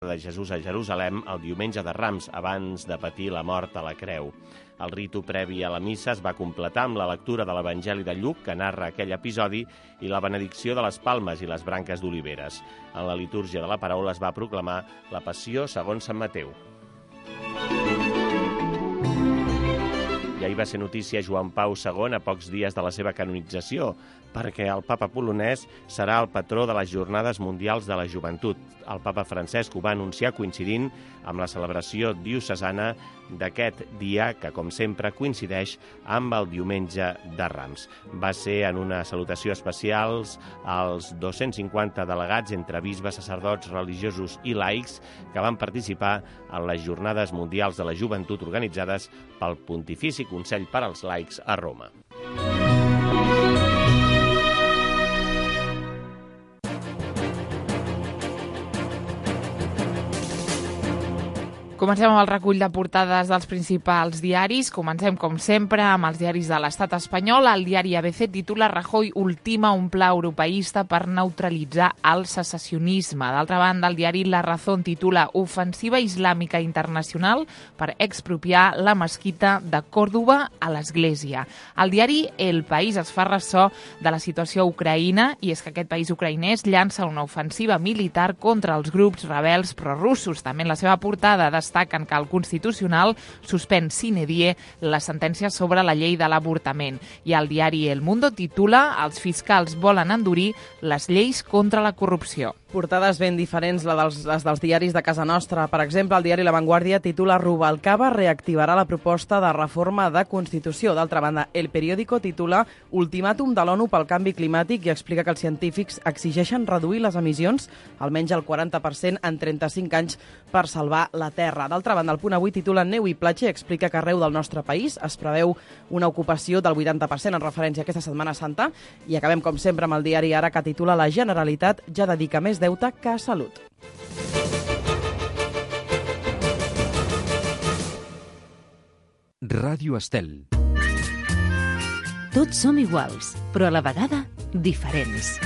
de Jesús a Jerusalem el diumenge de Rams, abans de patir la mort a la creu. El ritu previ a la missa es va completar amb la lectura de l'Evangeli de Lluc, que narra aquell episodi, i la benedicció de les palmes i les branques d'oliveres. En la litúrgia de la paraula es va proclamar la Passió segons Sant Mateu. I ahir va ser notícia Joan Pau II a pocs dies de la seva canonització, perquè el papa polonès serà el patró de les Jornades Mundials de la Joventut. El papa Francesc ho va anunciar coincidint amb la celebració diocesana d'aquest dia, que, com sempre, coincideix amb el diumenge de Rams. Va ser en una salutació especial als 250 delegats entre bisbes, sacerdots, religiosos i laics que van participar en les Jornades Mundials de la Joventut organitzades pel Pontifici Consell per als Laics a Roma. Comencem amb el recull de portades dels principals diaris. Comencem, com sempre, amb els diaris de l'estat espanyol. El diari ABC titula Rajoy ultima un pla europeista per neutralitzar el secessionisme. D'altra banda, el diari La Razón titula Ofensiva islàmica internacional per expropiar la mesquita de Còrdova a l'Església. El diari El País es fa ressò de la situació a Ucraïna, i és que aquest país ucraïnès llança una ofensiva militar contra els grups rebels prorussos. També en la seva portada destaquen que el Constitucional suspèn sine die la sentència sobre la llei de l'avortament. I el diari El Mundo titula Els fiscals volen endurir les lleis contra la corrupció. Portades ben diferents les dels diaris de casa nostra. Per exemple, el diari La Vanguardia titula Rubalcaba reactivarà la proposta de reforma de Constitució. D'altra banda, El Periódico titula Ultimàtum de l'ONU pel canvi climàtic i explica que els científics exigeixen reduir les emissions almenys el 40% en 35 anys per salvar la Terra. D'altra banda, el Punt Avui titula Neu i platja i explica que arreu del nostre país es preveu una ocupació del 80% en referència a aquesta Setmana Santa. I acabem, com sempre, amb el diari Ara, que titula La Generalitat ja dedica més deute que a salut. Ràdio Estel. Tots som iguals, però a la vegada diferents.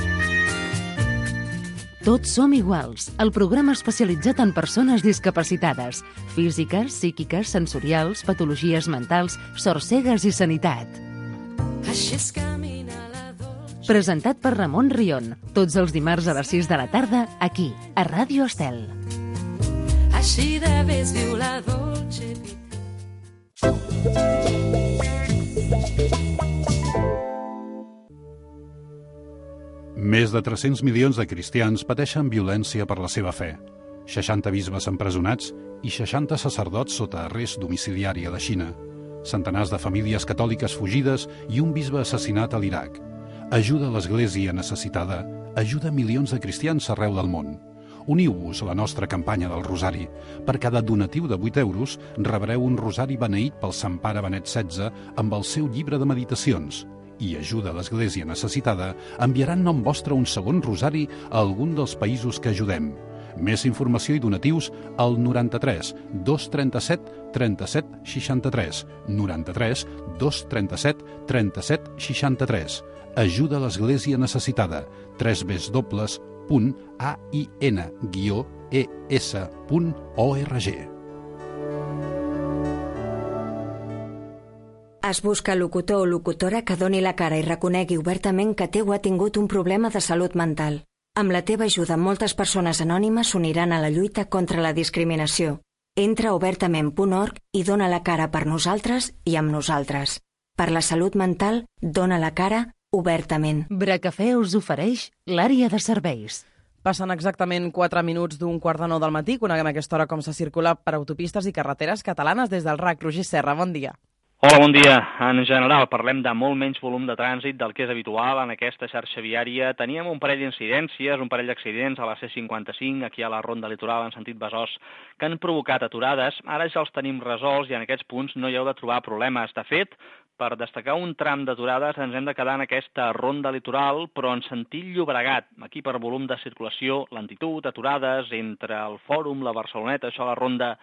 Tots som iguals, el programa especialitzat en persones discapacitades, físiques, psíquiques, sensorials, patologies mentals, sorcegues i sanitat. Així es camina la dolça. Presentat per Ramon Rion, tots els dimarts a les 6 de la tarda, aquí, a Ràdio Estel. Així de vés viu la dolce vida. Més de 300 milions de cristians pateixen violència per la seva fe. 60 bisbes empresonats i 60 sacerdots sota arrest domiciliari a la Xina. Centenars de famílies catòliques fugides i un bisbe assassinat a l'Iraq. Ajuda a l'Església necessitada, ajuda milions de cristians arreu del món. Uniu-vos a la nostra campanya del Rosari. Per cada donatiu de 8 euros rebreu un rosari beneït pel Sant Pare Benet XVI amb el seu llibre de meditacions. I ajuda a l'Església necessitada enviarà en nom vostre un segon rosari a algun dels països que ajudem. Més informació i donatius al 93 237 37 63. 93 237 37 63. Ajuda a l'Església necessitada. www.ain-es.org. Es busca locutor o locutora que doni la cara i reconegui obertament que té o ha tingut un problema de salut mental. Amb la teva ajuda, moltes persones anònimes s'uniran a la lluita contra la discriminació. Entra a obertament.org i dona la cara per nosaltres i amb nosaltres. Per la salut mental, dona la cara obertament. Bracafè us ofereix l'àrea de serveis. Passen exactament 4 minuts d'un 8:45 del matí. Coneguem a aquesta hora com se circula per autopistes i carreteres catalanes des del RAC. Roger Serra, bon dia. Hola, bon dia. En general, parlem de molt menys volum de trànsit del que és habitual en aquesta xarxa viària. Teníem un parell d'incidències, un parell d'accidents a la C55, aquí a la Ronda Litoral en sentit Besòs, que han provocat aturades. Ara ja els tenim resolts i en aquests punts no hi heu de trobar problemes. De fet, per destacar un tram d'aturades ens hem de quedar en aquesta Ronda Litoral, però en sentit Llobregat. Aquí per volum de circulació, lentitud, aturades entre el Fòrum, la Barceloneta, això a la Ronda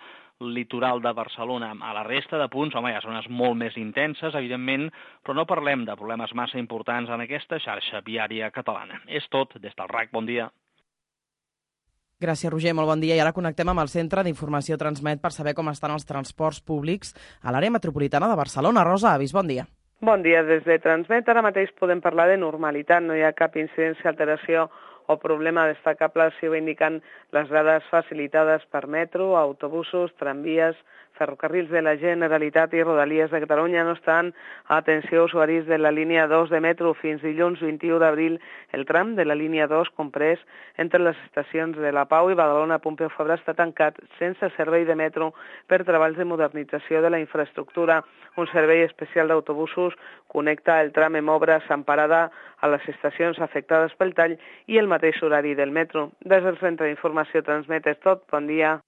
Litoral de Barcelona. A la resta de punts, home, hi ha zones molt més intenses, evidentment, però no parlem de problemes massa importants en aquesta xarxa viària catalana. És tot des del RAC. Bon dia. Gràcies, Roger, molt bon dia. I ara connectem amb el Centre d'Informació Transmet per saber com estan els transports públics a l'àrea metropolitana de Barcelona. Rosa Avis, bon dia. Bon dia, des de Transmet. Ara mateix podem parlar de normalitat, no hi ha cap incidència, alteració o problema destacable, si ho indiquen les dades facilitades per metro, autobusos, tramvies, ferrocarrils de la Generalitat i Rodalies de Catalunya. No obstant, atenció, usuaris de la línia 2 de metro, fins dilluns 21 d'abril el tram de la línia 2 comprès entre les estacions de La Pau i Badalona Pompeu Fabra està tancat sense servei de metro per treballs de modernització de la infraestructura. Un servei especial d'autobusos connecta el tram en obres amb parada a les estacions afectades pel tall i el mateix horari del metro. Des del Centre d'Informació Transmet és tot. Bon dia.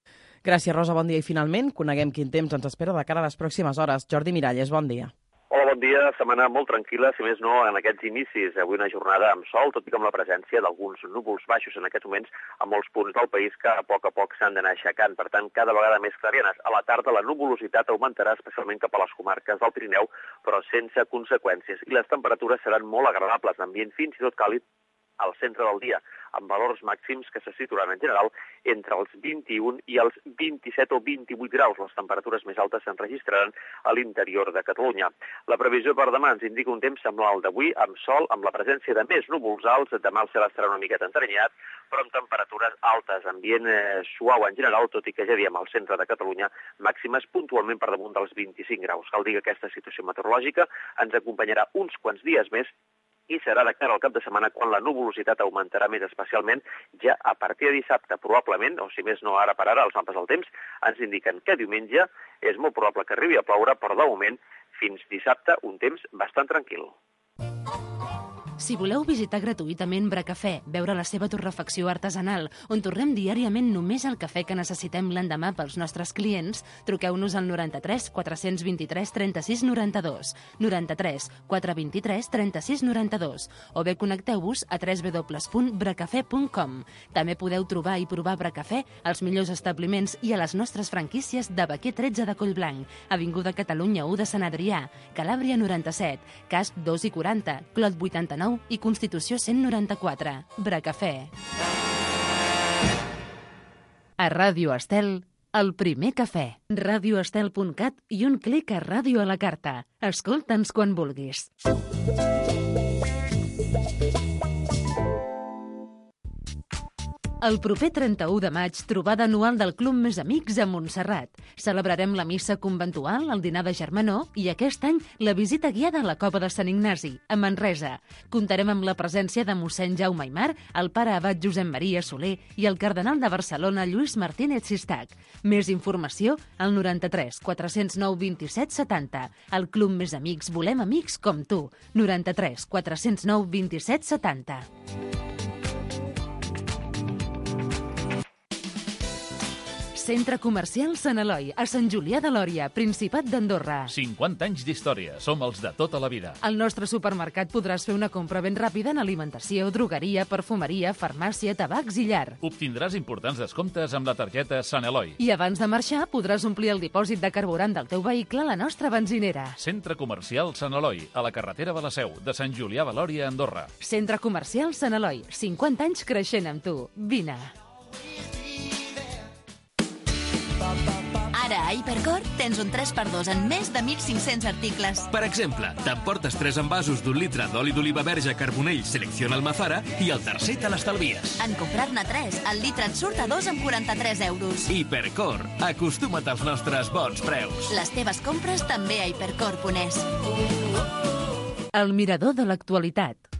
Gràcies, Rosa, bon dia. I finalment, coneguem quin temps ens espera de cara a les pròximes hores. Jordi Miralles, bon dia. Hola, bon dia. Setmana molt tranquil·la, si més no, en aquests inicis. Avui una jornada amb sol, tot i com la presència d'alguns núvols baixos en aquests moments a molts punts del país que a poc s'han d'anar aixecant. Per tant, cada vegada més clarianes. A la tarda la nuvolositat augmentarà especialment cap a les comarques del Pirineu, però sense conseqüències. I les temperatures seran molt agradables, d'ambient fins i tot càlid al centre del dia, amb valors màxims que se situaran en general entre els 21 i els 27 o 28 graus. Les temperatures més altes s'enregistraran a l'interior de Catalunya. La previsió per demà ens indica un temps semblant al d'avui, amb sol, amb la presència de més núvols alts. Demà el cel estarà una miqueta entrenyat, però amb temperatures altes, ambient suau en general, tot i que ja diem al centre de Catalunya màximes puntualment per damunt dels 25 graus. Cal dir que aquesta situació meteorològica ens acompanyarà uns quants dies més i serà de cara al cap de setmana quan la nuvolositat augmentarà més, especialment ja a partir de dissabte, probablement, o si més no ara per ara, els mapes del temps ens indiquen que diumenge és molt probable que arribi a ploure, però de moment, fins dissabte, un temps bastant tranquil. Si voleu visitar gratuïtament Bracafè, veure la seva torrefacció artesanal, on torrem diàriament només el cafè que necessitem l'endemà pels nostres clients, truqueu-nos al 93 423 36 92, 93 423 36 92, o bé connecteu-vos a www.bracafè.com. També podeu trobar i provar Bracafè als millors establiments i a les nostres franquícies de Baquer 13 de Collblanc, Avinguda Catalunya 1 de Sant Adrià, Calàbria 97, Casp 2 i 40, Clot 89 i Constitució 194. Bracafè. A Ràdio Estel, el primer cafè. radioestel.cat i un clic a Ràdio a la carta. Escolta'ns quan vulguis. El proper 31 de maig, trobada anual del Club Més Amics a Montserrat. Celebrarem la missa conventual, el dinar de germanor i aquest any la visita guiada a la Cova de Sant Ignasi, a Manresa. Comptarem amb la presència de mossèn Jaume Aymar, el pare abat Josep Maria Soler i el cardenal de Barcelona Lluís Martínez Sistac. Més informació al 93 409 27 70. El Club Més Amics volem amics com tu. 93 409 27 70. Centre Comercial Sant Eloi, a Sant Julià de Lòria, Principat d'Andorra. 50 anys d'història, som els de tota la vida. Al nostre supermercat podràs fer una compra ben ràpida en alimentació, drogueria, perfumeria, farmàcia, tabacs i llar. Obtindràs importants descomptes amb la targeta Sant Eloi. I abans de marxar podràs omplir el dipòsit de carburant del teu vehicle a la nostra benzinera. Centre Comercial Sant Eloi, a la carretera de la Seu, de Sant Julià de Lòria, Andorra. Centre Comercial Sant Eloi, 50 anys creixent amb tu. Vine. Ara a Hipercor tens un 3x2 en més de 1.500 articles. Per exemple, t'emportes 3 envasos d'1 litre d'oli d'oliva verge Carbonell Selección Almazara i el tercer te l'estalvies. En comprar-ne 3, el litre et surt a 2 amb 43 euros. Hipercor, acostuma't als nostres bons preus. Les teves compres també a hipercor.es. El mirador de l'actualitat.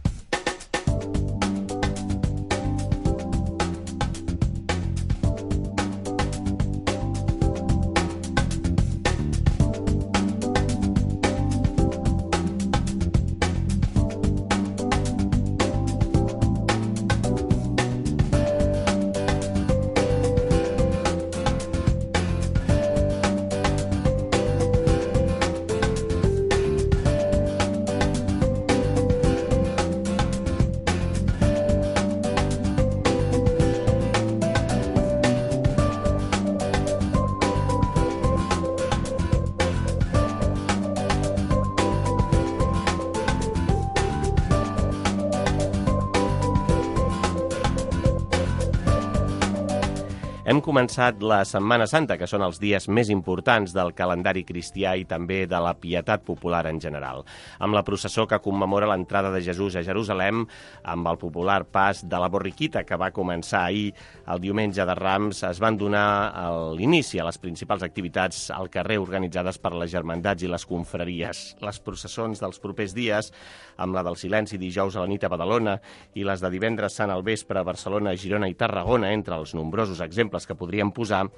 Hem començat la Setmana Santa, que són els dies més importants del calendari cristià i també de la pietat popular en general, amb la processó que commemora l'entrada de Jesús a Jerusalem, amb el popular pas de la borriquita que va començar ahir, el diumenge de Rams. Es van donar l'inici a les principals activitats al carrer organitzades per les germandats i les confraries. Les processons dels propers dies, amb la del silenci dijous a la nit a Badalona i les de divendres sant al vespre a Barcelona, Girona i Tarragona, entre els nombrosos exemples que podríem posar,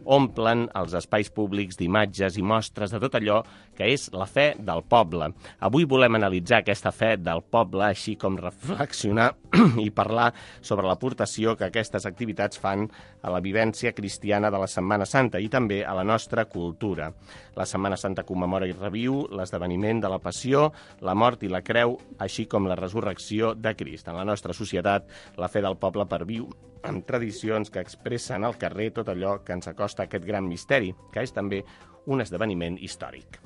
omplen els espais públics d'imatges i mostres de tot allò que és la fe del poble. Avui volem analitzar aquesta fe del poble, així com reflexionar i parlar sobre l'aportació que aquestes activitats fan a la vivència cristiana de la Setmana Santa i també a la nostra cultura. La Setmana Santa commemora i reviu l'esdeveniment de la passió, la mort i la creu, així com la resurrecció de Crist. En la nostra societat, la fe del poble perviu amb tradicions que expressen al carrer tot allò que ens acosta a aquest gran misteri, que és també un esdeveniment històric.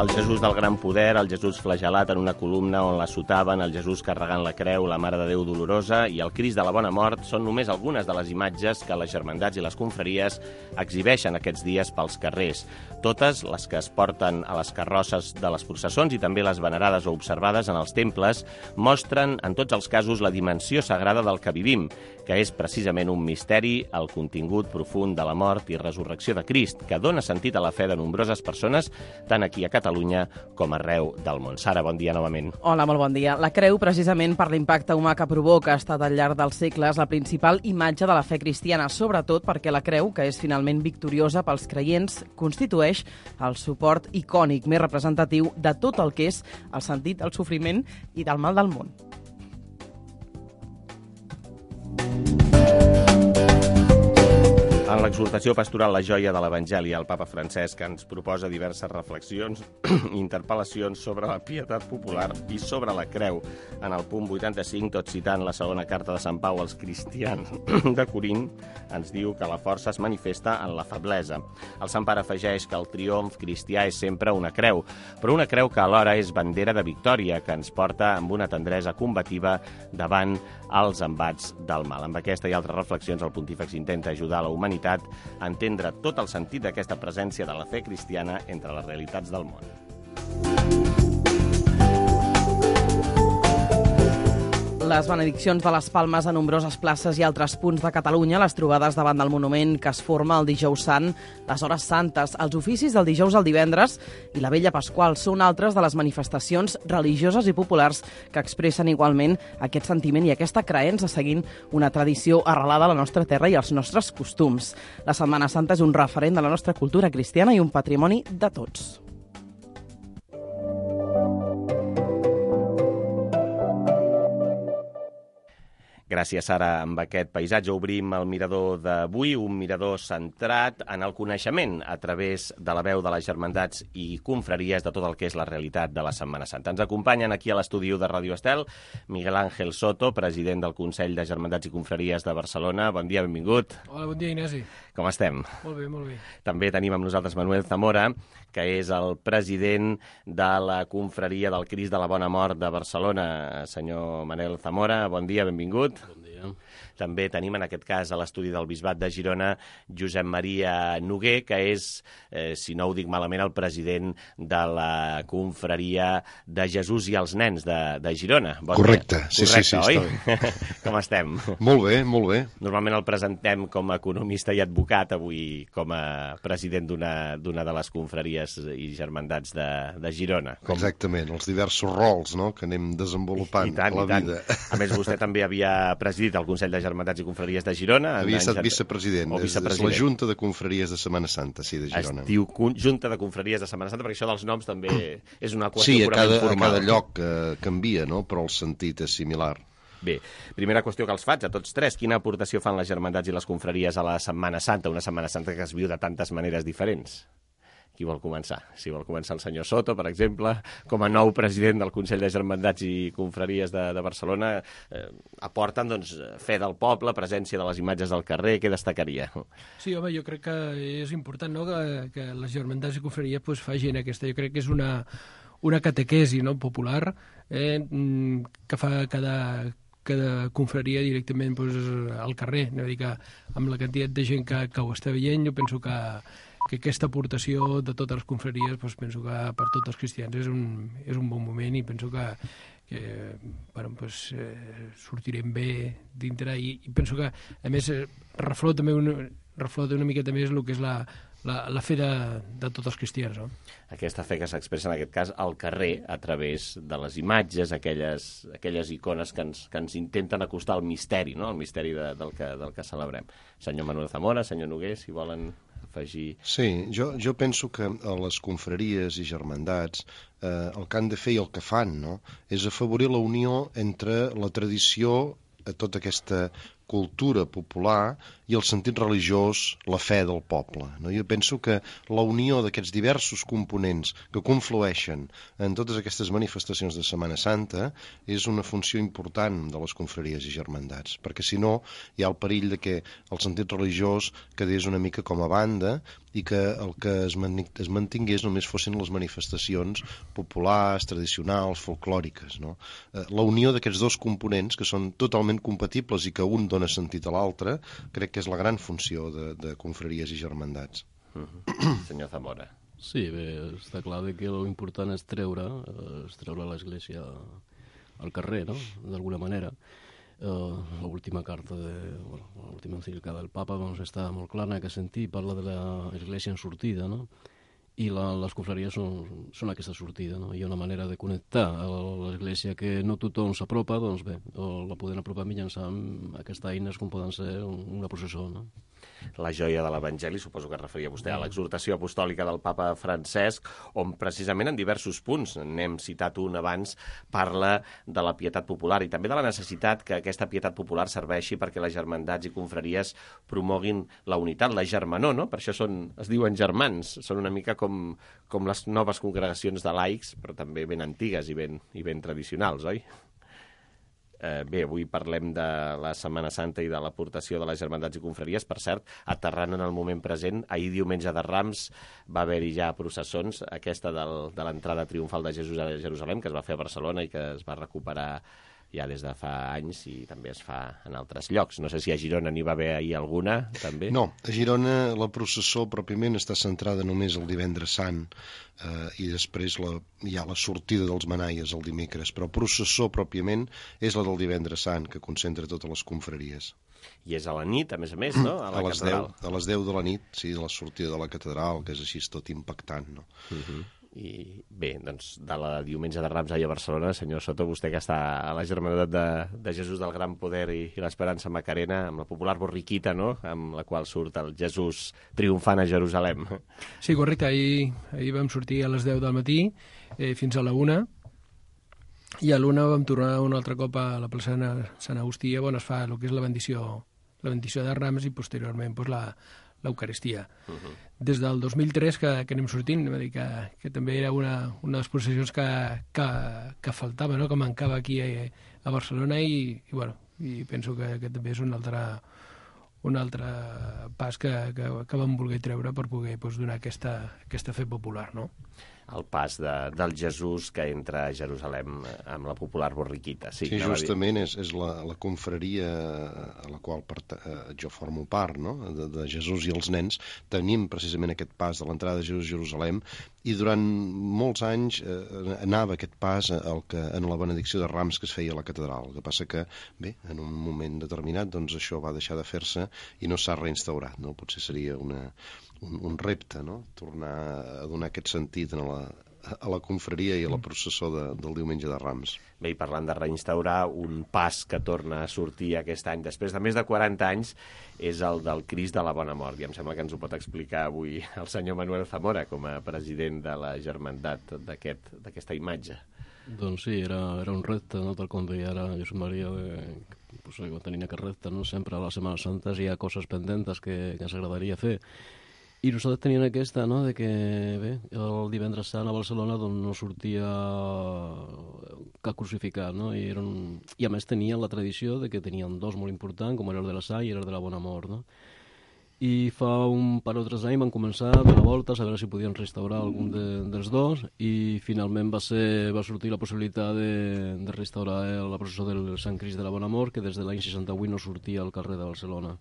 El Jesús del gran poder, el Jesús flagelat en una columna on l'assotaven, el Jesús carregant la creu, la Mare de Déu dolorosa i el Crist de la Bona Mort són només algunes de les imatges que les germandats i les confraries exhibeixen aquests dies pels carrers. Totes les que es porten a les carrosses de les processons i també les venerades o observades en els temples mostren, en tots els casos, la dimensió sagrada del que vivim, que és precisament un misteri, el contingut profund de la mort i resurrecció de Crist, que dona sentit a la fe de nombroses persones, tant aquí a Catalunya com arreu del món. Sara, bon dia novament. Hola, molt bon dia. La creu, precisament per l'impacte humà que provoca, ha estat al llarg dels segles la principal imatge de la fe cristiana, sobretot perquè la creu, que és finalment victoriosa pels creients, constitueix el suport icònic més representatiu de tot el que és el sentit del sofriment i del mal del món. En l'exhortació pastoral La joia de l'Evangeli, el papa Francesc ens proposa diverses reflexions i interpel·lacions sobre la pietat popular i sobre la creu. En el punt 85, tot citant la segona carta de Sant Pau als cristians de Corint, ens diu que la força es manifesta en la feblesa. El Sant Pare afegeix que el triomf cristià és sempre una creu, però una creu que alhora és bandera de victòria, que ens porta amb una tendresa combativa davant els embats del mal. Amb aquesta i altres reflexions, el pontífex intenta ajudar la humanitat a entendre tot el sentit d'aquesta presència de la fe cristiana entre les realitats del món. Les benediccions de les Palmes a nombroses places i altres punts de Catalunya, les trobades davant del monument que es forma el dijous sant, les hores santes, els oficis del dijous al divendres i la Vella Pasqual són altres de les manifestacions religioses i populars que expressen igualment aquest sentiment i aquesta creença seguint una tradició arrelada a la nostra terra i als nostres costums. La Setmana Santa és un referent de la nostra cultura cristiana i un patrimoni de tots. Gràcies, Sara. Amb aquest paisatge obrim el mirador d'avui, un mirador centrat en el coneixement a través de la veu de les germandats i confraries de tot el que és la realitat de la Setmana Santa. Ens acompanyen aquí a l'estudi de Ràdio Estel Miguel Ángel Soto, president del Consell de Germandats i Confraries de Barcelona. Bon dia, benvingut. Hola, bon dia, Ignasi. Com estem? Molt bé, molt bé. També tenim amb nosaltres Manuel Zamora, que és el president de la confraria del Crist de la Bona Mort de Barcelona. Senyor Manel Zamora, bon dia, benvingut. Bon dia. També tenim en aquest cas a l'estudi del Bisbat de Girona Josep Maria Noguer, que és, si no ho dic malament, el president de la confraria de Jesús i els nens de Girona. Bon Correcte, dia. sí, oi? Com estem? Molt bé, molt bé. Normalment el presentem com a economista i advocat, avui com a president d'una de les confraries i germandats de Girona. Exactament, els diversos rols, no?, que anem desenvolupant a la vida. A més, vostè també havia presidit el Consell de Germandats i Confraries de Girona. Havia estat vicepresident. És la Junta de Confraries de Setmana Santa, sí, de Girona. Es diu Junta de Confraries de Setmana Santa, perquè això dels noms també és una qüestió purament formal. Sí, a cada lloc canvia, no?, però el sentit és similar. Bé, primera qüestió que els faig a tots tres. Quina aportació fan les germandats i les confraries a la Setmana Santa, una Setmana Santa que es viu de tantes maneres diferents? Qui vol començar? Si vol començar el senyor Soto, per exemple, com a nou president del Consell de Germandats i Confraries de Barcelona, aporten doncs, fe del poble, presència de les imatges del carrer, què destacaria? Sí, home, jo crec que és important, no?, que les germandats i confraries pues, facin aquesta. Jo crec que és una catequesi, no?, popular, que fa cada confraria directament pues, al carrer. No? Dir que amb la quantitat de gent que ho està veient, jo penso que aquesta aportació de totes les confraries, pues, penso que per tots els cristians és un bon moment i penso que bueno, pues, sortirem bé dintre i penso que, a més, reflota una miqueta més el que és la fe de tots els cristians. No? Aquesta fe que s'expressa en aquest cas al carrer a través de les imatges, aquelles icones que ens intenten acostar al misteri, no? Al misteri del que celebrem. Senyor Manuel Zamora, senyor Noguer, si volen afegir... Sí, jo penso que a les confraries i germandats el que han de fer i el que fan, no?, és afavorir la unió entre la tradició, tota aquesta cultura popular i el sentit religiós, la fe del poble. No? Jo penso que la unió d'aquests diversos components que conflueixen en totes aquestes manifestacions de Setmana Santa és una funció important de les confraries i germandats, perquè si no hi ha el perill de que el sentit religiós quedés una mica com a banda i que el que es mantingués només fossin les manifestacions populars, tradicionals, folclòriques. No? La unió d'aquests dos components, que són totalment compatibles i que un dona sentit a l'altre, crec que és la gran funció de confraries i germandats. Senyor Zamora. Sí, bé, està clar que l'important és treure l'Església al carrer, no?, d'alguna manera. L'última carta, l'última encíclica del Papa doncs, està molt clara en aquest sentit, parla de l'Església en sortida, no?, i les confraries són aquesta sortida, no? Hi ha una manera de connectar a l'Església que no tothom s'apropa, doncs bé, la poden apropar mitjançant aquestes eines com poden ser una processó, no? La joia de l'Evangeli, suposo que es referia vostè a l'exhortació apostòlica del papa Francesc, on precisament en diversos punts, n'hem citat un abans, parla de la pietat popular i també de la necessitat que aquesta pietat popular serveixi perquè les germandats i confraries promoguin la unitat, la germanor, no? Per això es diuen germans, són una mica com les noves congregacions de laics, però també ben antigues i ben tradicionals, oi? Bé, avui parlem de la Setmana Santa i de l'aportació de les germandats i confraries. Per cert, aterrant en el moment present, ahir diumenge de Rams va haver-hi ja processons, aquesta de l'entrada triomfal de Jesús a Jerusalem, que es va fer a Barcelona i que es va recuperar ja des de fa anys i també es fa en altres llocs. No sé si a Girona n'hi va haver ahir alguna, també. No, a Girona la processó pròpiament està centrada només el divendres sant i després hi ha la sortida dels manaies el dimecres, però processó pròpiament és la del divendres sant, que concentra totes les confraries. I és a la nit, a més, no? A la catedral. A les 10 de la nit, sí, de la sortida de la catedral, que és així tot impactant, no? I bé, doncs, de la diumenge de Rams ahir a Barcelona, senyor Soto, vostè que està a la Germandat de Jesús del Gran Poder i l'Esperança Macarena, amb la popular borriquita, no?, amb la qual surt el Jesús triomfant a Jerusalem. Sí, correcte. Ahir vam sortir a les 10 del matí fins a la 1, i a l'1 vam tornar un altre cop a la plaça Sant Agustí, on es fa el que és la bendició de Rams i posteriorment pues, l'Eucaristia. Des del 2003 que anem sortint, que també era una de les processions que faltava, no?, que mancava aquí a Barcelona i penso que també és un altre pas que vam voler treure per poder donar aquesta fe popular, no? El pas del Jesús que entra a Jerusalem amb la popular borriquita. Sí, justament és la confraria a la qual jo formo part, no?, de Jesús i els nens. Tenim precisament aquest pas de l'entrada de Jesús a Jerusalem i durant molts anys anava aquest pas en la benedicció de Rams que es feia a la catedral. El que passa que, bé, en un moment determinat doncs això va deixar de fer-se i no s'ha reinstaurat, no? Potser seria un repte, no?, tornar a donar aquest sentit a la confraria i a la processó del diumenge de Rams. Bé, i parlant de reinstaurar, un pas que torna a sortir aquest any, després de més de 40 anys, és el del Crist de la Bona Mort. I em sembla que ens ho pot explicar avui el senyor Manuel Zamora, com a president de la germandat d'aquesta imatge. Doncs sí, era un repte, no?, tal com deia ara Josep Maria, tenint aquest repte, no?, sempre a les Setmanes Santes hi ha coses pendentes que ens agradaria fer. I nosaltres teníem aquesta, no?, de que, bé, el divendres sant a Barcelona doncs, no sortia cap crucificat, no? I a més tenien la tradició de que tenien dos molt importants, com era el de la Sall i el de la Bona Mort, no? I fa un par o 3 anys van començar a donar voltes a veure si podien restaurar algun dels dos i finalment va sortir la possibilitat de restaurar la processó del Sant Crist de la Bona Mort, que des de l'any 68 no sortia al carrer de Barcelona.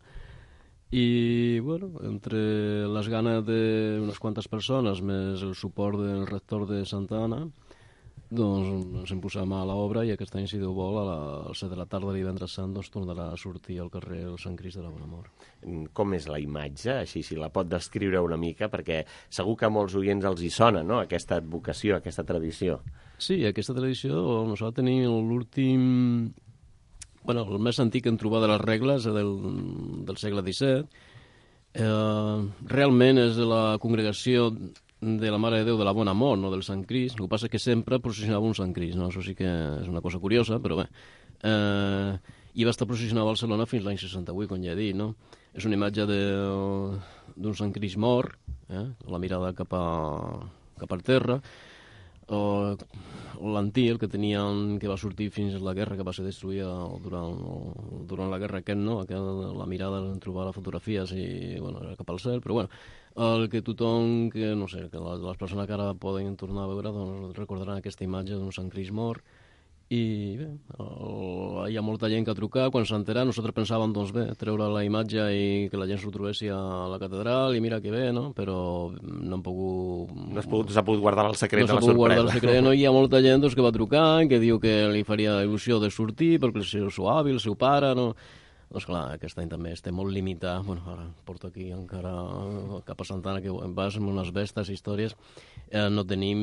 I, bueno, entre les ganes d'unes quantes persones més el suport del rector de Santa Anna, doncs ens hem posat mà a l'obra i aquest any, si Déu vol, a les 7 de la tarda divendres sant, doncs tornarà a sortir al carrer el Sant Crist de la Bona Mort. Com és la imatge? Així, si la pot descriure una mica, perquè segur que a molts oients els hi sona, no?, aquesta advocació, aquesta tradició. Sí, aquesta tradició nosaltres tenim l'últim... Bueno, el més antic que hem trobat de les regles del segle XVII. Realment és de la congregació de la Mare de Déu de la Bona Mort, no del Sant Crist. El que passa és que sempre processionava un Sant Crist, no? Això sí que és una cosa curiosa, però bé. I va estar processionat a Barcelona fins l'any 68, com ja he dit, no? És una imatge d'un Sant Crist mort, la mirada cap al terra, l'antic, el que tenien, que va sortir fins a la guerra, que va ser destruïda durant la guerra aquest, no? La mirada, trobar les fotografies i, bueno, era cap al cel, però bueno, el que tothom, que no sé, que les persones que ara poden tornar a veure, doncs recordaran aquesta imatge d'un Sant Crist mort. I bé, hi ha molta gent que ha trucat, quan s'ha enterat, nosaltres pensàvem, doncs bé, treure la imatge i que la gent s'ho trobessi a la catedral, i mira que bé, no? Però no han pogut... No s'ha pogut guardar el secret de la sorpresa. No s'ha pogut guardar el secret, no? Hi ha molta gent doncs, que va trucar, que diu que li faria il·lusió de sortir, perquè el seu avi, el seu pare, no? Doncs clar, aquest any també estem molt limitat. Bueno, ara porto aquí encara cap a Santa Anna, que vas amb unes bestes històries. No tenim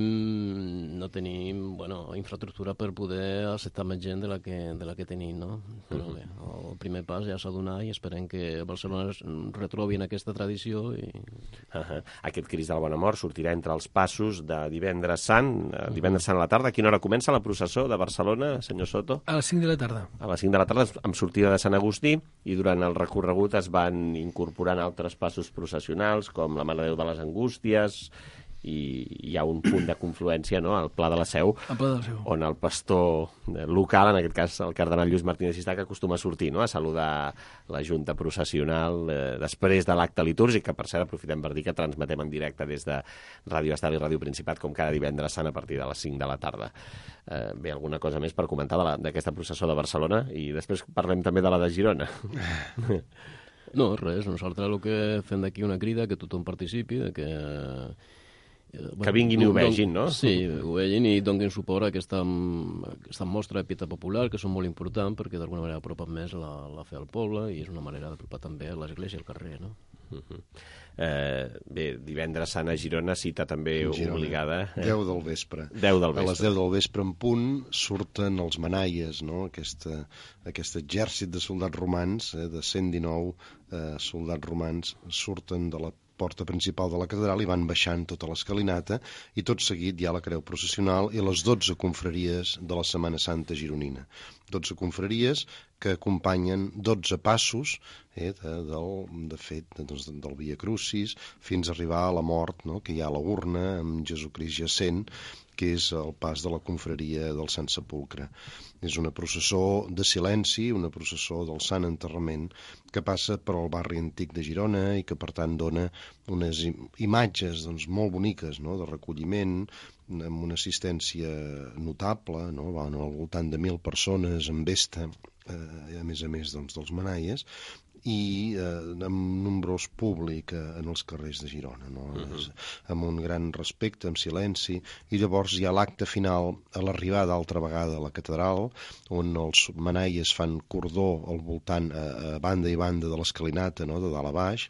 infraestructura per poder acceptar més gent de la que tenim, no? Però bé, el primer pas ja s'ha donat i esperem que Barcelona retrobin aquesta tradició. Aquest Crist de la Bona Mort sortirà entre els passos de divendres sant a la tarda. A quina hora comença la processó de Barcelona, senyor Soto? A les 5 de la tarda. A les 5 de la tarda, amb sortida de Sant Agustí, i durant el recorregut es van incorporant altres passos processionals, com la Mare de Déu de les Angústies, i hi ha un punt de confluència, no?, al Pla de la Seu, on el pastor local, en aquest cas el cardenal Lluís Martínez Sistac, acostuma a sortir, no?, a saludar la junta processional després de l'acte litúrgic, que per cert aprofitem per dir que transmetem en directe des de Ràdio Estel i Ràdio Principat, com cada divendres sant a partir de les 5 de la tarda. Bé, alguna cosa més per comentar d'aquesta processó de Barcelona? I després parlem també de la de Girona. No, res, nosaltres el que fem d'aquí una crida, que tothom participi, que vinguin i ho vegin, no? Sí, ho vegin i donin suport a aquesta mostra de pietat popular, que són molt importants perquè d'alguna manera apropen més la fe al poble i és una manera d'apropar també a l'església i al carrer, no? Bé, divendres sant a Girona, cita també obligada. 10 del vespre. 10 del vespre. A les 10 del vespre en punt surten els manaies, no? Aquest exèrcit de soldats romans, de 119 soldats romans, surten de la porta principal de la catedral i van baixant tota l'escalinata i tot seguit hi ha la creu processional i les 12 confraries de la Setmana Santa gironina. 12 confraries que acompanyen 12 passos del Via Crucis fins a arribar a la mort, no?, que hi ha a la urna amb Jesucrist jacent, que és el pas de la confraria del Sant Sepulcre. És una processó de silenci, una processó del Sant Enterrament, que passa per al barri antic de Girona i que, per tant, dona unes imatges molt boniques, no?, de recolliment, amb una assistència notable, no?, van al voltant de 1.000 persones en vesta, a més dels manaies, i amb nombrós públic en els carrers de Girona, no? Amb un gran respecte, amb silenci, i llavors hi ha l'acte final a l'arribada altra vegada a la catedral, on els manaies fan cordó al voltant, a banda i banda de l'escalinata, no?, de dalt a baix,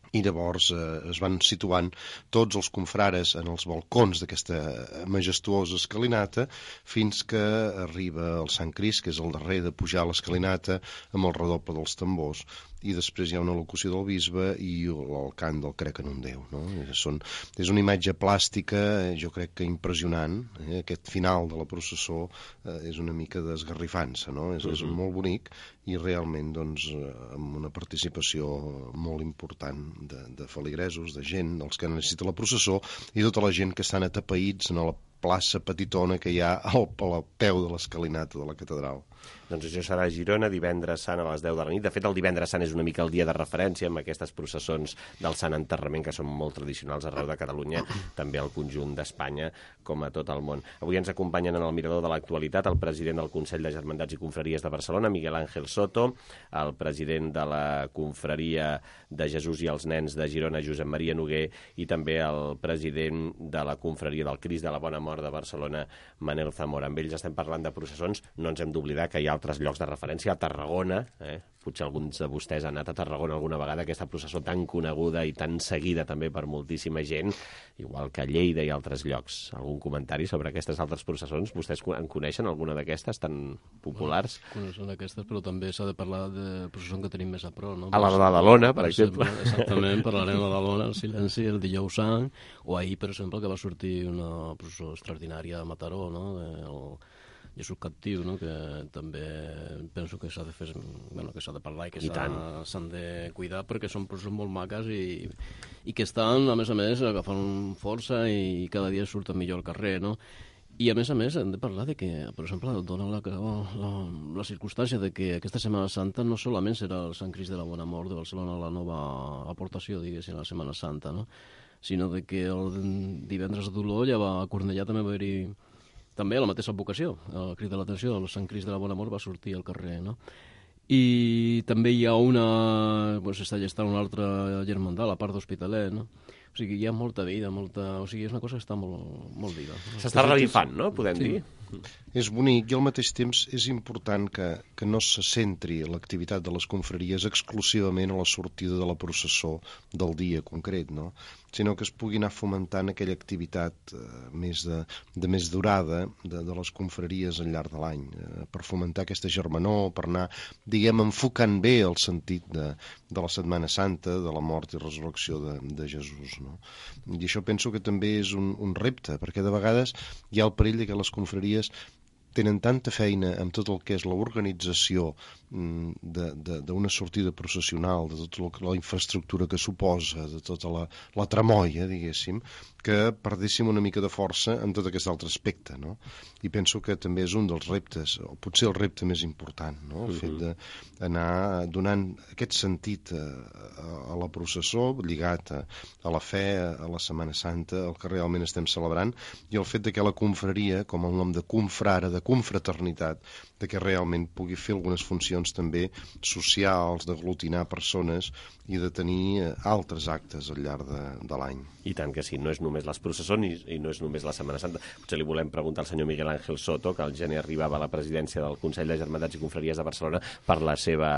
i llavors es van situant tots els confrares en els balcons d'aquesta majestuosa escalinata fins que arriba el Sant Crist, que és el darrer de pujar a l'escalinata amb el redoble dels tambors, i després hi ha una locució del bisbe i el cant del Crec en un Déu, no? És una imatge plàstica, jo crec que impressionant, aquest final de la processó és una mica d'esgarrifança, no? És molt bonic i realment amb una participació molt important de feligresos, de gent, dels que necessita la processó, i tota la gent que estan atapeïts en la plaça petitona que hi ha al peu de l'escalinata de la catedral. Doncs això serà a Girona, divendres sant a les 10 de la nit. De fet, el divendres sant és una mica el dia de referència amb aquestes processons del Sant Enterrament, que són molt tradicionals arreu de Catalunya, també al conjunt d'Espanya, com a tot el món. Avui ens acompanyen en el mirador de l'actualitat el president del Consell de Germandats i Confraries de Barcelona, Miguel Ángel Soto, el president de la Confraria de Jesús i els Nens de Girona, Josep Maria Noguer, i també el president de la Confraria del Crist de la Bona Mort de Barcelona, Manel Zamora. Amb ells estem parlant de processons. No ens hem d'oblidar que hi ha altres llocs de referència, a Tarragona, potser alguns de vostès han anat a Tarragona alguna vegada, aquesta processó tan coneguda i tan seguida també per moltíssima gent, igual que a Lleida i altres llocs. Algun comentari sobre aquestes altres processons? Vostès en coneixen alguna d'aquestes tan populars? Coneixen aquestes, però també s'ha de parlar de processó que tenim més a prop, no? A la de Badalona, per exemple. Exactament, parlarem de Badalona, el silenci, el dijous sant, o ahir, per exemple, que va sortir una processó extraordinària a Mataró, no? El Jesús captiu, no? Que també penso que s'ha de fer, bueno, que s'ha de parlar i que s'han de cuidar, perquè són processons molt maques i que estan, a més, agafant força i cada dia surten millor al carrer, no? I a més hem de parlar de que, per exemple, dona la circumstància de que aquesta Setmana Santa no solament serà el Sant Crist de la Bona Mort de Barcelona, la nova aportació, diguéssim, a la Setmana Santa, no? Sinó de que el divendres d'Olor ja a Cornellà també va haver-hi també la mateixa vocació, el crit de l'atenció, el Sant Crist de la Bona Mort va sortir al carrer, no? I també hi ha s'està gestant una altra germandad, la part d'Hospitalet, no? O sigui, hi ha molta vida, o sigui, és una cosa que està molt viva. S'està revifant, no?, podem dir. És bonic i al mateix temps és important que no se centri l'activitat de les confraries exclusivament a la sortida de la processó del dia concret, no? Sinó que es pugui anar fomentant aquella activitat més durada de les confraries al llarg de l'any, per fomentar aquesta germanor, per anar, diguem, enfocant bé el sentit de la Setmana Santa, de la mort i resurrecció de Jesús, no? I això penso que també és un repte, perquè de vegades hi ha el perill de que les confraries tenen tanta feina amb tot el que és l'organització d'una sortida processional, de tota la infraestructura que suposa, de tota la tramoia, diguéssim, que perdéssim una mica de força en tot aquest altre aspecte, no? I penso que també és un dels reptes, o potser el repte més important, no? El fet d'anar donant aquest sentit a la processó, lligat a la fe, a la Setmana Santa, el que realment estem celebrant, i el fet de que la confraria, com el nom de confrare, de confraternitat, de que realment pugui fer algunes funcions també socials, d'aglutinar persones i de tenir altres actes al llarg de l'any. I tant que sí, no és només les processons i no és només la Setmana Santa. Potser li volem preguntar al senyor Miguel Ángel Soto, que al gener arribava a la presidència del Consell de Germandats i Confraries de Barcelona per la seva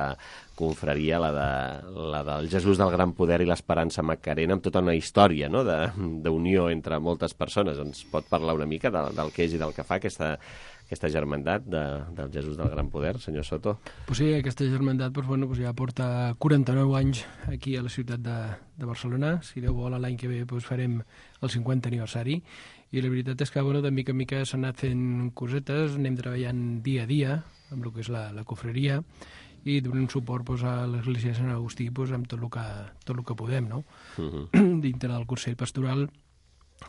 confraria, la del Jesús del Gran Poder i l'Esperança Macarena, amb tota una història, no?, d'unió entre moltes persones. Ens pot parlar una mica del que és i del que fa aquesta germandat del Jesús del Gran Poder, senyor Soto? Pues sí, aquesta germandat ja porta 49 anys aquí a la ciutat de Barcelona. Si Déu vol, l'any que ve farem el 50 aniversari. I la veritat és que de mica en mica s'han anat fent cosetes, anem treballant dia a dia amb el que és la confraria i donant suport a l'Església de Sant Agustí amb tot el que podem, no? Dintre del Consell Pastoral,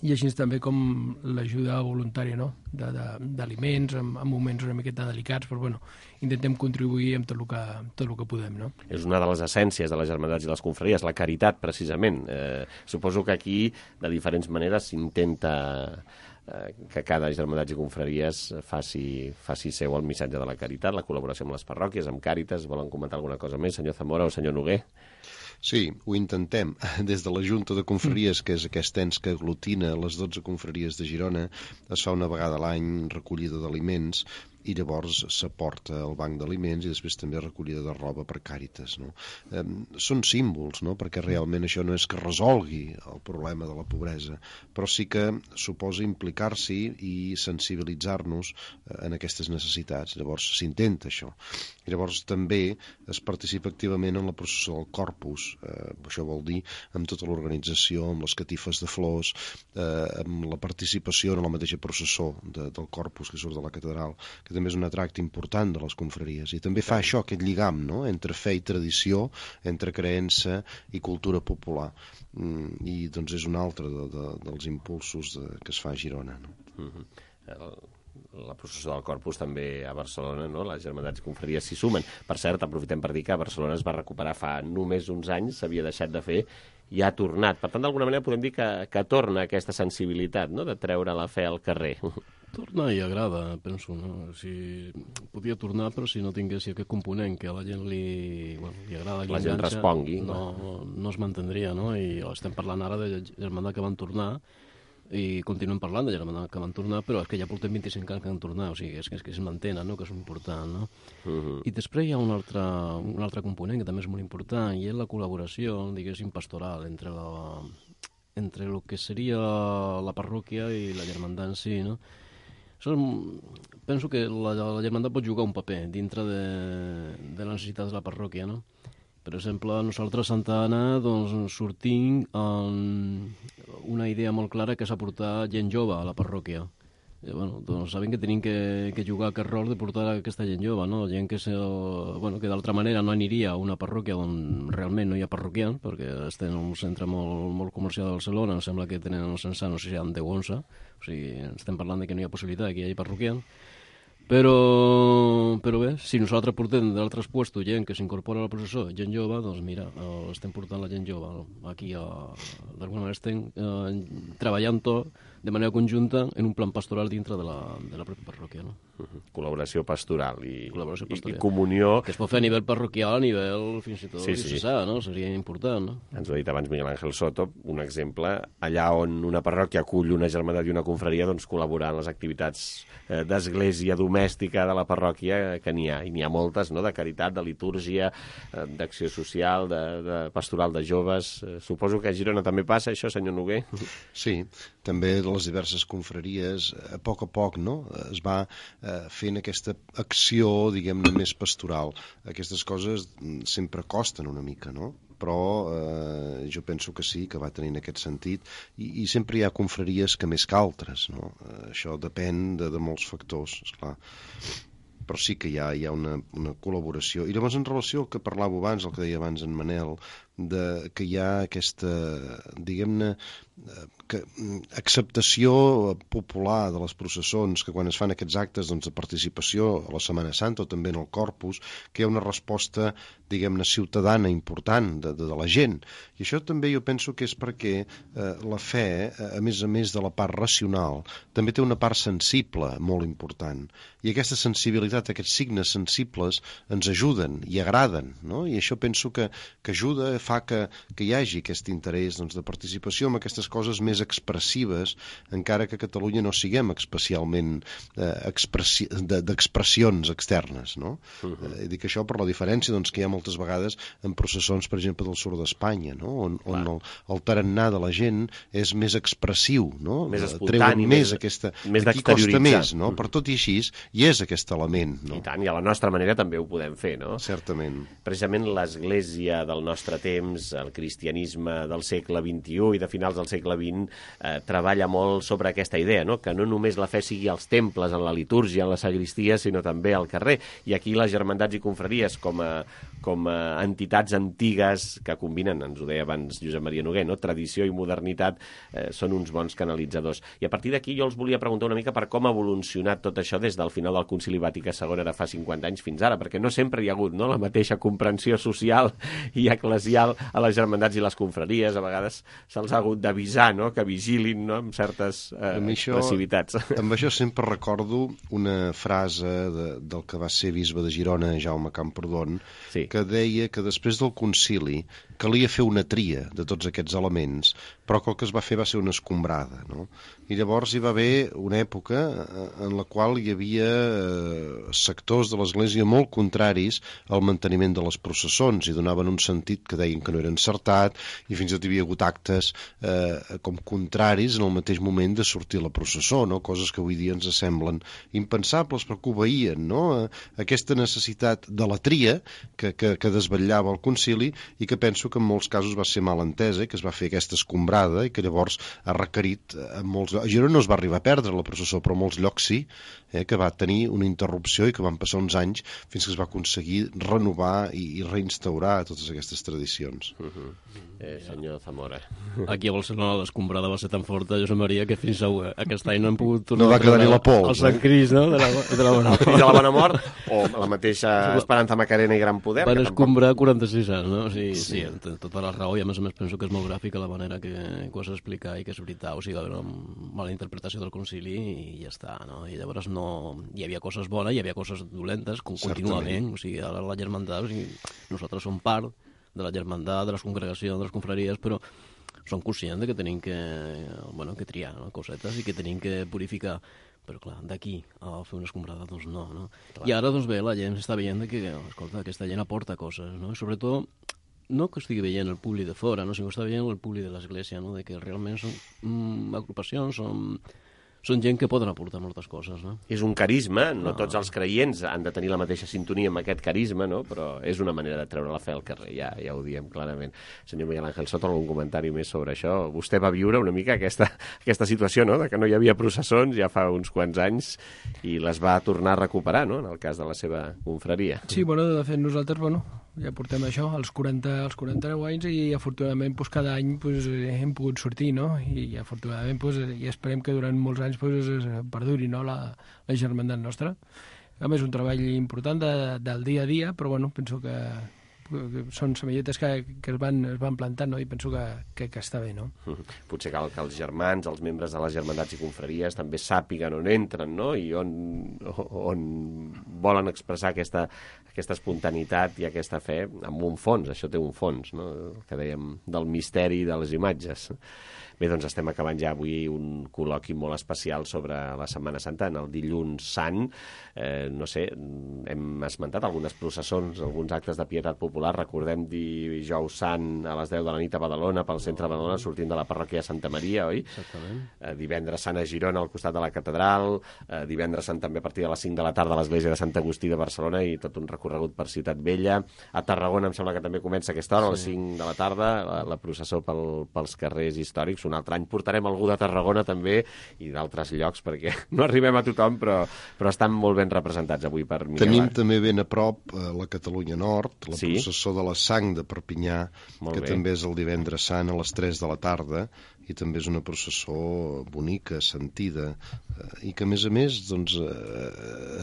i així també com l'ajuda voluntària, no?, d'aliments en moments una miqueta delicats, però intentem contribuir amb tot el que podem, no? És una de les essències de les germandats i les confraries, la caritat, precisament. Suposo que aquí, de diferents maneres, s'intenta que cada germandats i confraries faci seu el missatge de la caritat, la col·laboració amb les parròquies, amb Càritas. Volen comentar alguna cosa més, senyor Zamora o senyor Noguer? Sí, ho intentem. Des de la Junta de Confraries, que és aquest ens que aglutina les 12 confraries de Girona, es fa una vegada a l'any recollida d'aliments i llavors s'aporta al banc d'aliments i després també recollida de roba per Càritas, no? Són símbols, no?, perquè realment això no és que resolgui el problema de la pobresa, però sí que suposa implicar-s'hi i sensibilitzar-nos en aquestes necessitats. Llavors s'intenta això. I llavors també es participa activament en la processó del Corpus, això vol dir amb tota l'organització, amb les catifes de flors, amb la participació en la mateixa processó del Corpus que surt de la catedral, que que també és un atracte important de les confraries, i també fa això, aquest lligam, no?, entre fe i tradició, entre creença i cultura popular, i doncs és un altre dels impulsos que es fa a Girona, no? La processó del Corpus també a Barcelona, no? Les germandats i confraries s'hi sumen. Per cert, aprofitem per dir que a Barcelona es va recuperar fa només uns anys, s'havia deixat de fer i ha tornat. Per tant, d'alguna manera podem dir que torna aquesta sensibilitat, no?, de treure la fe al carrer. Torna i agrada, penso, no? Podia tornar, però si no tingués aquest component que a la gent li agrada, la gent respongui. No es mantindria, no? I estem parlant ara de germandat que van tornar, i continuem parlant de germandat que van tornar, però és que ja portem 25 anys que van tornar, o sigui, és que es mantenen, no?, que és important, no? I després hi ha un altre component que també és molt important, i és la col·laboració, diguéssim, pastoral entre el que seria la parròquia i la germandat en si, no? Penso que la germandat pot jugar un paper dintre de les necessitats de la parròquia, no? Per exemple, nosaltres a Santa Anna sortim amb una idea molt clara que és aportar gent jove a la parròquia. Sabem que tenim que jugar aquest rol de portar aquesta gent jove, no? Gent que d'altra manera no aniria a una parròquia on realment no hi ha parroquians, perquè estem en un centre molt comercial de Barcelona, em sembla que tenen el censat, no sé si hi ha 10 o 11, o sigui, estem parlant de que no hi ha possibilitat que hi hagi parroquians. Però bé, si nosaltres portem d'altres puestos gent que s'incorpora a la processó, gent jove, doncs mira, estem portant la gent jove aquí, d'alguna manera estem treballant tot de manera conjunta en un plan pastoral dintre de la pròpia parròquia, no? Col·laboració pastoral i comunió. Que es pot fer a nivell parroquial, a nivell fins i tot diocesà, no? Seria important, no? Ens ho ha dit abans Miguel Ángel Soto, un exemple, allà on una parròquia acull una germandat i una confraria, doncs col·laborar en les activitats d'església domèstica de la parròquia, que n'hi ha, i n'hi ha moltes, no?, de caritat, de litúrgia, d'acció social, de pastoral de joves. Suposo que a Girona també passa això, senyor Noguer? Sí, també les diverses confraries, a poc, no?, es va fent aquesta acció, diguem-ne, més pastoral. Aquestes coses sempre costen una mica, no?, però jo penso que sí, que va tenint aquest sentit, i sempre hi ha confraries que més que altres, no? Això depèn de molts factors, esclar. Però sí que hi ha una col·laboració. I llavors, en relació al que parlava abans, el que deia abans en Manel, que hi ha aquesta, diguem-ne, acceptació popular de les processons, que quan es fan aquests actes de participació a la Setmana Santa o també en el Corpus, que hi ha una resposta, diguem-ne, ciutadana important de la gent. I això també jo penso que és perquè la fe, a més de la part racional, també té una part sensible molt important. I aquesta sensibilitat, aquests signes sensibles ens ajuden i agraden, no? I això penso que ajuda, fa que hi hagi aquest interès de participació en aquestes coses més expressives, encara que a Catalunya no siguem especialment d'expressions externes, no? Dic això per la diferència que hi ha moltes vegades en processons, per exemple, del sud d'Espanya, no?, on el tarannà de la gent és més expressiu, no? Més espontani, més d'exterioritzar. Aquí costa més, no? Per tot i així, hi és aquest element, no? I tant, i a la nostra manera també ho podem fer, no? Certament. Precisament l'Església del nostre temps, el cristianisme del segle XXI i de finals del segle XX, treballa molt sobre aquesta idea, no?, que no només la fe sigui als temples, en la litúrgia, en la sagristia, sinó també al carrer. I aquí les germandats i confraries, com a entitats antigues que combinen, ens ho deia abans Josep Maria Noguer, no?, tradició i modernitat, són uns bons canalitzadors. I a partir d'aquí jo els volia preguntar una mica per com ha evolucionat tot això des del final del Concili Vaticà II, ara fa 50 anys fins ara, perquè no sempre hi ha hagut, no?, la mateixa comprensió social i eclesial a les germandats i les confraries. A vegades se'ls ha hagut d'avisar, no?, que vigilin, no?, amb certes expressivitats. Amb això sempre recordo una frase del que va ser bisbe de Girona, Jaume Camprodon, que deia que després del concili calia fer una tria de tots aquests elements, però que el que es va fer va ser una escombrada, no? I llavors hi va haver una època en la qual hi havia sectors de l'Església molt contraris al manteniment de les processons i donaven un sentit que deien que no era encertat, i fins i tot hi havia hagut actes com contraris en el mateix moment de sortir la processó, no? Coses que avui dia ens semblen impensables, però que obeïen, no?, aquesta necessitat de la tria que desvetllava el concili, i que penso que en molts casos va ser mal entesa, que es va fer aquesta escombrada avançada i que llavors ha requerit a molts llocs. A Girona no es va arribar a perdre la processó, però a molts llocs sí, que va tenir una interrupció i que van passar uns anys fins que es va aconseguir renovar i reinstaurar totes aquestes tradicions. Senyor Zamora. Aquí a Barcelona l'escombrada va ser tan forta, Josep Maria, que fins aquest any no hem pogut tornar no va quedar ni la pols. El Sant Crist, no? De la bona mort. De la bona mort, o la mateixa Esperanza Macarena i Gran Poder. Van escombrar 46 anys, no? Sí, tota la raó, i a més penso que és molt gràfica la manera que ho has d'explicar i que és veritat, o sigui, va haver una mala interpretació del concili i ja està, no? I llavors hi havia coses bones, hi havia coses dolentes, contínuament, o sigui, ara la germandat, o sigui, nosaltres som part de la germandat, de les congregacions, de les confraries, però som conscients que tenim que triar cosetes i que tenim que purificar. Però clar, d'aquí a fer una escombrada, doncs no. I ara, doncs bé, la gent està veient que, escolta, aquesta gent aporta coses, no? I sobretot, no que estigui veient el públic de fora, no? Sinó que està veient el públic de l'Església, no? De que realment són agrupacions, són gent que poden aportar moltes coses, no? És un carisma, no tots els creients han de tenir la mateixa sintonia amb aquest carisma, no? Però és una manera de treure la fe al carrer, ja ho diem clarament. Senyor Miguel Ángel Soto, algun comentari més sobre això? Vostè va viure una mica aquesta situació, no?, de que no hi havia processons ja fa uns quants anys i les va tornar a recuperar, no?, en el cas de la seva confraria. Sí, de fet nosaltres, ja portem això, els 49 anys, i afortunadament cada any hem pogut sortir, no? I afortunadament i esperem que durant molts anys es perduri, no?, la germandat nostra. A més, un treball important del dia a dia, però penso que són semelletes que es van plantant, no? I penso que està bé, no? Potser cal que els germans, els membres de les germandats i confraries també sàpiguen on entren, no? I on volen expressar aquesta espontaneïtat i aquesta fe amb un fons. Això té un fons, no? El que dèiem del misteri de les imatges. Bé, doncs estem acabant ja avui un col·loqui molt especial sobre la Setmana Santa, en el dilluns sant. No sé, hem esmentat algunes processons, alguns actes de pietat popular. Recordem dijous sant a les 10 de la nit a Badalona, pel centre de Badalona, sortint de la parròquia de Santa Maria, oi? Exactament. Divendres sant a Girona, al costat de la catedral. Divendres sant també a partir de les 5 de la tarda a l'església de Sant Agustí de Barcelona i tot un recorregut per Ciutat Vella. A Tarragona em sembla que també comença aquesta hora, a les 5 de la tarda, la processó pels carrers històrics. Un altre any portarem algú de Tarragona també i d'altres llocs, perquè no arribem a tothom, però estan molt ben representats avui per Miguel. Tenim també ben a prop la Catalunya Nord, la processó de la Sang de Perpinyà, que també és el divendres sant a les 3 de la tarda, i també és una processó bonica, sentida, i que a més doncs,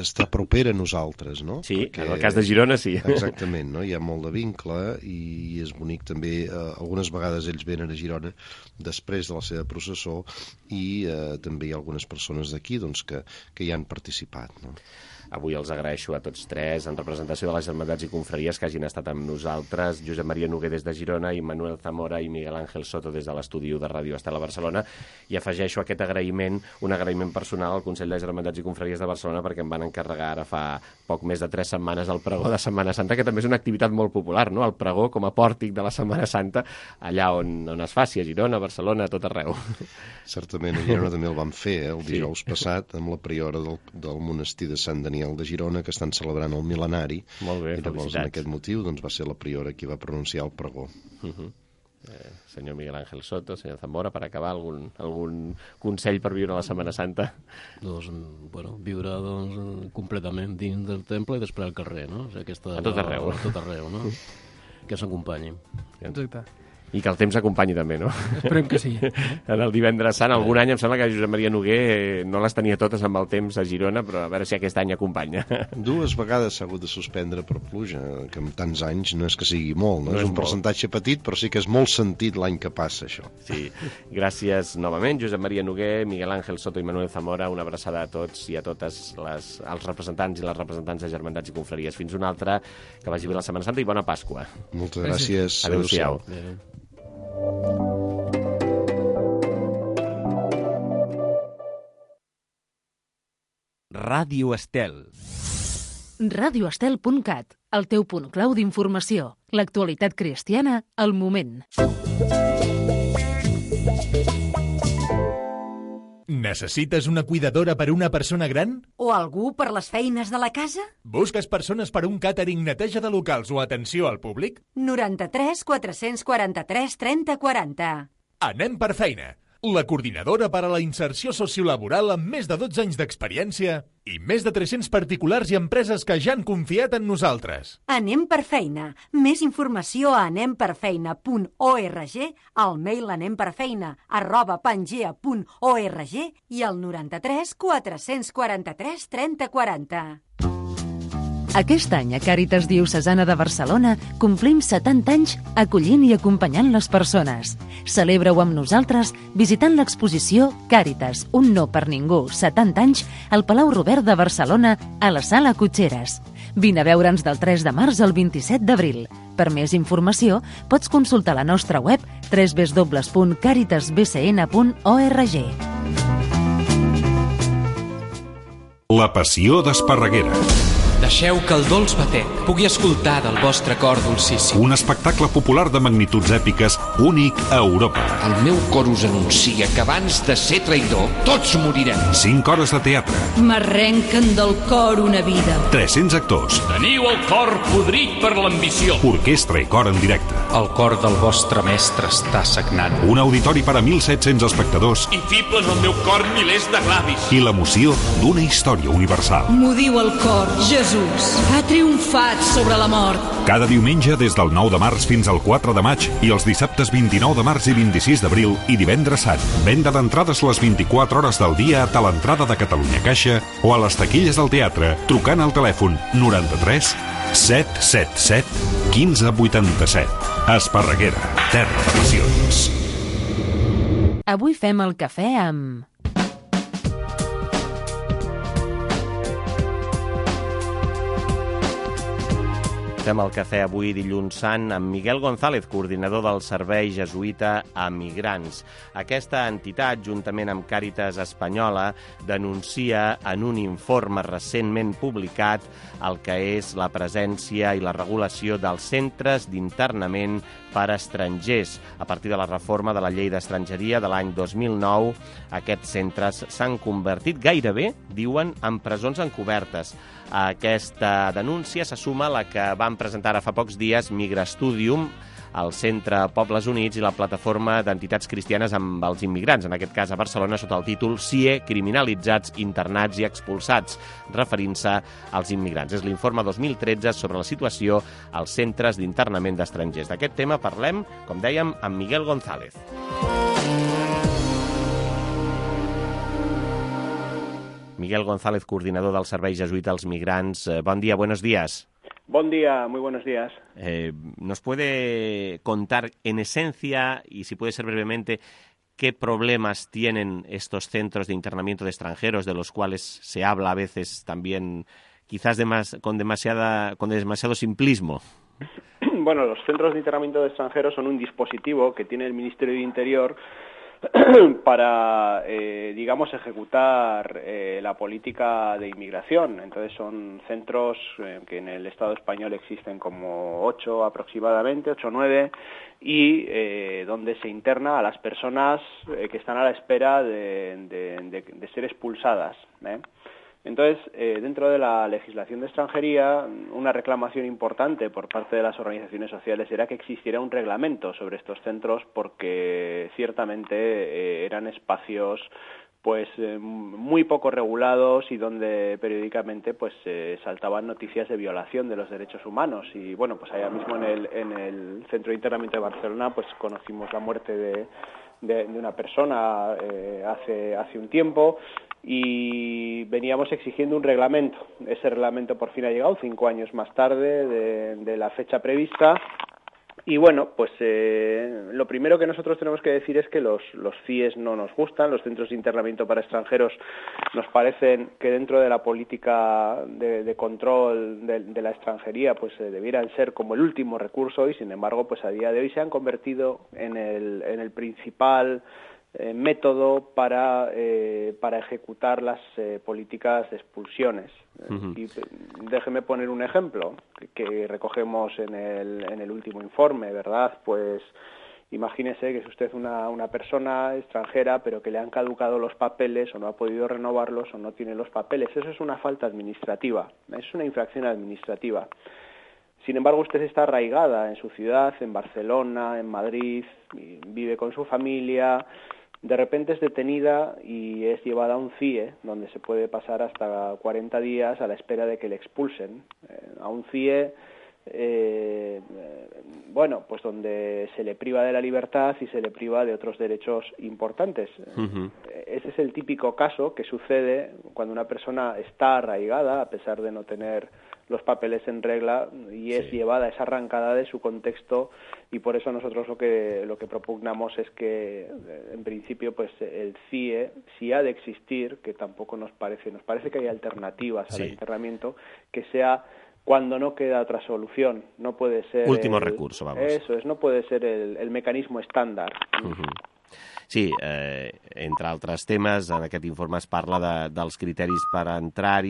està propera a nosaltres, no? Sí, perquè, en el cas de Girona sí. Exactament, no? Hi ha molt de vincle i és bonic també. Algunes vegades ells venen a Girona després de la seva processó i també hi ha algunes persones d'aquí doncs, que hi han participat, no? Avui els agraeixo a tots tres, en representació de les germandats i confraries, que hagin estat amb nosaltres, Josep Maria Noguer des de Girona, i Manuel Zamora i Miguel Ángel Soto des de l'estudi de Ràdio Estela Barcelona, i afegeixo aquest agraïment, un agraïment personal al Consell de Germandats i Confraries de Barcelona, perquè em van encarregar ara fa poc més de 3 setmanes el pregó de Setmana Santa, que també és una activitat molt popular, no?, el pregó com a pòrtic de la Setmana Santa, allà on es faci, a Girona, a Barcelona, a tot arreu. Certament, a Girona també el vam fer, el dijous passat, amb la priora del monestir de Sant Daniel de Girona, que estan celebrant el mil·lenari. Molt bé, i llavors, en aquest motiu, doncs, va ser la priora qui va pronunciar el pregó. Senyor Miguel Ángel Soto, senyor Zamora, per acabar, algun consell per viure la Setmana Santa? Doncs, viure completament dins del temple i després al carrer, no? A tot arreu. A tot arreu, no? Que s'acompanyi. Exacte. I que el temps acompanyi també, no? Esperem que sí. En el divendres sant, algun any em sembla que Josep Maria Noguer no les tenia totes amb el temps a Girona, però a veure si aquest any acompanya. 2 vegades s'ha hagut de suspendre per pluja, que en tants anys no és que sigui molt, no? És un percentatge petit, però sí que és molt sentit l'any que passa, això. Sí. Gràcies novament, Josep Maria Noguer, Miguel Ángel Soto i Manuel Zamora. Una abraçada a tots i a totes els representants i les representants de germandats i confraries. Fins una altra, que vagi bé la Setmana Santa i bona Pasqua. Moltes gràcies. Adéu-siau. Ràdio Estel. radioestel.cat, el teu punt clau d'informació. L'actualitat cristiana al moment. Necessites una cuidadora per a una persona gran? O algú per les feines de la casa? Busques persones per a un càtering, neteja de locals o atenció al públic? 93 443 30 40. Anem per feina, la coordinadora per a la inserció sociolaboral amb més de 12 anys d'experiència i més de 300 particulars i empreses que ja han confiat en nosaltres. Anem per feina. Més informació a anemperfeina.org, al mail anemperfeina@pangea.org i al 93 443 30 40. Aquest any a Càritas Diocesana de Barcelona complim 70 anys acollint i acompanyant les persones. Celebra-ho amb nosaltres visitant l'exposició Càritas, un no per ningú, 70 anys, al Palau Robert de Barcelona, a la Sala Cotxeres. Vine a veure'ns del 3 de març al 27 d'abril. Per més informació, pots consultar la nostra web www.caritasbcn.org. La passió d'Esparreguera. Deixeu que el dolç batec pugui escoltar del vostre cor dolcíssim. Un espectacle popular de magnituds èpiques únic a Europa. El meu cor us anuncia que abans de ser traïdor, tots morirem. 5 hores de teatre. M'arrenquen del cor una vida. 300 actors. Teniu el cor podrit per l'ambició. Orquestra i cor en directe. El cor del vostre mestre està sagnant. Un auditori per a 1.700 espectadors. I fiblen al meu cor milers de glavis. I l'emoció d'una història universal. M'ho diu el cor, Jesús ha triomfat sobre la mort. Cada diumenge des del 9 de març fins al 4 de maig i els dissabtes 29 de març i 26 d'abril i divendres sant. Venda d'entrades les 24 hores del dia a l'entrada de Catalunya Caixa o a les taquilles del teatre trucant al telèfon 93 777 1587. Esparreguera, terra de passions. Avui fem el cafè amb... Fem el cafè avui dilluns sant amb Miguel González, coordinador del Servei Jesuïta a Migrants. Aquesta entitat, juntament amb Càritas Espanyola, denuncia en un informe recentment publicat el que és la presència i la regulació dels centres d'internament per a estrangers. A partir de la reforma de la llei d'estrangeria de l'any 2009, aquests centres s'han convertit gairebé, diuen, en presons encobertes. A aquesta denúncia se suma la que van presentar ara fa pocs dies Migrastudium, el Centre Pobles Units i la Plataforma d'Entitats Cristianes amb els Immigrants, en aquest cas a Barcelona, sota el títol CIE, criminalitzats, internats i expulsats, referint-se als immigrants. És l'informe 2013 sobre la situació als centres d'internament d'estrangers. D'aquest tema parlem, com dèiem, amb Miguel González. Miguel González, coordinador del Servei Jesuïta als Migrants. Bon dia, buenos días. Buen día, muy buenos días. ¿Nos puede contar en esencia, y si puede ser brevemente, qué problemas tienen estos centros de internamiento de extranjeros, de los cuales se habla a veces también, quizás con demasiado simplismo? Bueno, los centros de internamiento de extranjeros son un dispositivo que tiene el Ministerio de Interior para, digamos, ejecutar la política de inmigración. Entonces son centros que en el Estado español existen como 8 aproximadamente, 8 o 9, y donde se interna a las personas que están a la espera de ser expulsadas, Entonces, dentro de la legislación de extranjería, una reclamación importante por parte de las organizaciones sociales era que existiera un reglamento sobre estos centros, porque ciertamente eran espacios pues muy poco regulados y donde periódicamente pues saltaban noticias de violación de los derechos humanos. Y bueno, pues allá mismo en el Centro de Internamiento de Barcelona pues conocimos la muerte de una persona hace un tiempo, y veníamos exigiendo un reglamento. Ese reglamento por fin ha llegado 5 años más tarde de la fecha prevista. Y bueno, pues lo primero que nosotros tenemos que decir es que los CIEs no nos gustan, los centros de internamiento para extranjeros nos parecen que dentro de la política de control de la extranjería pues debieran ser como el último recurso, y sin embargo pues a día de hoy se han convertido en el principal método para ejecutar las políticas de expulsiones. Y déjeme poner un ejemplo que recogemos en el último informe, ¿verdad? Pues imagínese que es usted una persona extranjera, pero que le han caducado los papeles o no ha podido renovarlos o no tiene los papeles. Eso es una falta administrativa, es una infracción administrativa. Sin embargo, usted está arraigada en su ciudad, en Barcelona, en Madrid, vive con su familia, de repente es detenida y es llevada a un CIE, donde se puede pasar hasta 40 días a la espera de que le expulsen. A un CIE, pues donde se le priva de la libertad y se le priva de otros derechos importantes. Ese es el típico caso que sucede cuando una persona está arraigada, a pesar de no tener los papeles en regla, y es llevada, es arrancada de su contexto, y por eso nosotros lo que propugnamos es que, en principio, pues el CIE, si ha de existir, que tampoco nos parece que hay alternativas al internamiento, que sea cuando no queda otra solución, no puede ser... Último recurso, vamos. Eso es, no puede ser el mecanismo estándar. Sí, entre altres temes, en aquest informe es parla dels criteris per entrar-hi,